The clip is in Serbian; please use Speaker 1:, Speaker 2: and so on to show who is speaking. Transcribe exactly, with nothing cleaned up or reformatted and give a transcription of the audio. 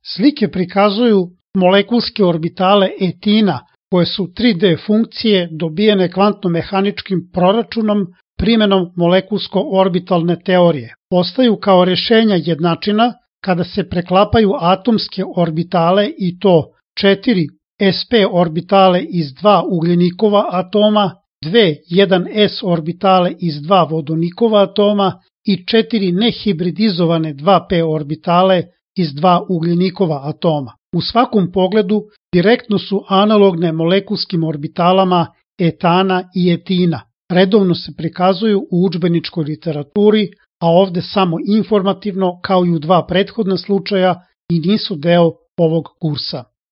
Speaker 1: Slike prikazuju molekulske orbitale etina, koje su tri D funkcije dobijene kvantno-mehaničkim proračunom primenom molekulsko-orbitalne teorije. Postaju kao rešenja jednačina kada se preklapaju atomske orbitale i to četiri S P orbitale iz dva ugljenikova atoma, dve jedan S orbitale iz dva vodonikova atoma i četiri nehibridizovane dva P orbitale iz dva ugljenikova atoma. U svakom pogledu direktno su analogne molekulskim orbitalama etana i etina. Redovno se prikazuju u udžbeničkoj literaturi, a ovde samo informativno kao i u dva prethodna slučaja i nisu deo ovog kursa.